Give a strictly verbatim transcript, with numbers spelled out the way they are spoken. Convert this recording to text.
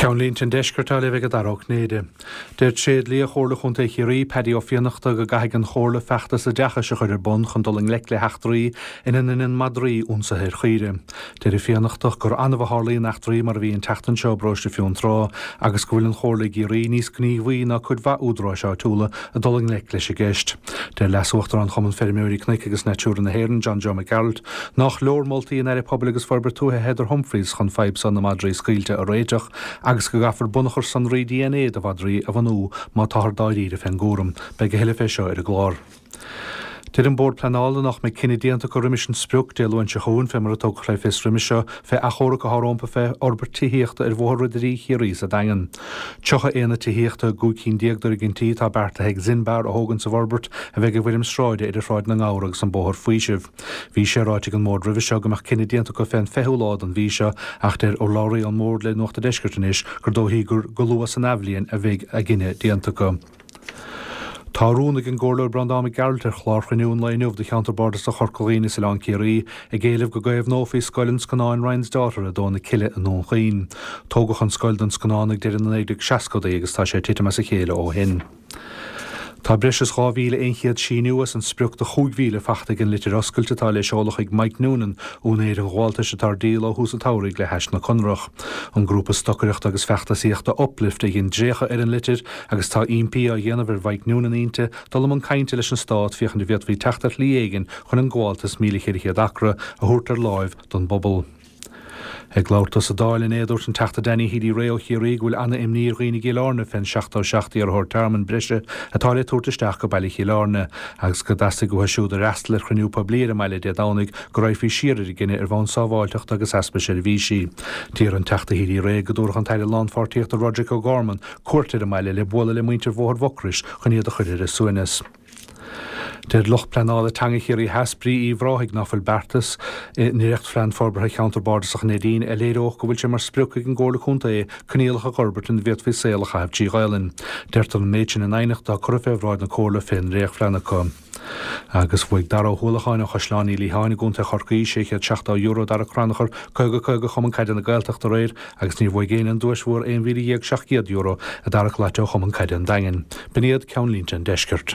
Ceannlínte an Deiscirt á léamh ag Dara Ó Cinnéide. Deir tréidlia Chomhairle Chontae Chiarraí Paddy Ó Fiannachta go gcaithfidh an Chomhairle feachtas oideachais a chur ar bun chun dul i ngleic le heachtraí ina ndéanann madraí ionsaithe ar chaoire. Deir Ó Fiannachta gur annamh a tharlaíonn eachtraí mar a bhí an tseachtain seo i bparóiste Fionntrá agus go bhfuil an Chomhairle i gCiarraí níos gníomhaí ná cuid mhaith údaráis áitiúla ag dul i ngleic leis an gceist. Deir Leas-Uachtarán Chumann Feirmeoirí Cnoic agus Natura na hÉireann John Joe Mac Gearailt nach leor moltaí an Aire Pobail agus Forbartha Tuaithe Heather Humphreys chun fadhb seo na madraí scaoilte a réiteach agus go gcaithfear bunachar sonraí DNA de mhadraí a bhunú má táthar dáiríre fén gcúram. Beidh a thuilleadh fé seo ar an gclár. Deir an Bord Pleanála nach mbeidh cinneadh déanta acu roimis an sprioc Dé Luain seo chugainn fé mar a tugadh le fios roimis seo fé achomharc atá rompu fé fhorbairt tithíochta ar Bhóthar Ridirí Chiarraí sa Daingean. Tríocha aonad tithíochta i gcúig cinn déag d'fhoirgintí atá beartaithe ag Zinbar a thógaint sa bhforbairt a bheidh i bhfoirm sráide idir Shráid na nGabhar agus an Bóthar Faoisimh. Bhí sé ráite ag an mbord roimhe seo go mbeadh cinneadh déanta acu fén fichiú lá den mhí seo ach deir urlabhraí ón mbord le Nuacht an Deiscirt anois gur dóichí gur go luath san athbhliain a bheidh a gcinneadh déanta acu. Tá rún ag an gComhairleoir Breandán Mac Gearailt ar chlár chruinniú an lae inniu do cheantar bardasach Chorca Dhuibhne is Oileán Ciarraí ag éileamh go gcaomhnófaí scoil an scannáin Ryan's Daughter i dTóin na Cille i nDún Chaoin. Tógadh an scoil don scannán ag deireadh na naoi déag seascadaí agus tá sé ag titim as a chéile ó shin. Tá breis is dhá mhíle aon chéad síniú as an sprioc de chúig mhíle faighte ag an litir oscailte atá le seoladh chuig Mike Noonan, úinéir an ghabháltais atá ar díol ó thús an tsamhraidh le hais na Conrach. An grúpa stocaireachta agus feachtasaíochta Uplift a dhein dréachtadh ar an litir agus tá impí á dhéanamh ar Mhike Noonan inti dul i mbun cainte leis an stát féachaint an bhféadfaí teacht ar shlí éigin chun an gabháltas míle ceithre chéad acra a thabhairt ar láimh don bpobal. Ag labhairt dó sa Dáil inné dúirt an Teachta Danny Healy-Rae ó Chiarraí go bhfuil an-imní ar dhaoine i gCill Airne fén seachtó seacht iarrthóir tearmainn breise atá le tabhairt isteach go baile Chill Airne agus go dteastaigh uathu siúd a fhreastail ar chruinniú poiblí ar an mbaile Dé Domhnaigh go raghfaí siar ar an gcinneadh ar bhonn sábháilteachta agus easpa seirbhísí. D'iarr an Teachta Healy-Rae go dtabharfadh an tAire Lánpháirtíochta Roderic O'Gorman cuairt ar an mbaile le bualadh le muintir Bhóthar Mhucrois chun iad a chur ar a suaimhneas. Deir lucht pleanála teanga Chiarraí Theas Brí Uíbh Ráthaigh nach bhfuil beartas i ndréachtphlean forbartha cheantar bardasach Neidín a léireodh go bhfuil sé mar sprioc ag an gComhairle Contae coinníollacha a fhorbairt ina bhféadfaí saol a chaitheamh trí Ghaelainn. Deirtear an méid sin in aighneacht atá curtha fé bhráid na Comhairle fén ndréachtphlean acu. Agus bhuaigh Dara Ó hUallacháin ó Chaisleán Uí Liatháin i gContae Chorcaí sé chéad seachtó euro Dara Crannchur caoga caoga Chumann Caide na Gaeltachta aréir agus níor bhuaigh éinne an duais mhór aon mhíle dhéag seacht gcéad euro a Dara Claite ó Chumann Caide an Daingin. B'in iad ceannlínte an Deiscirt.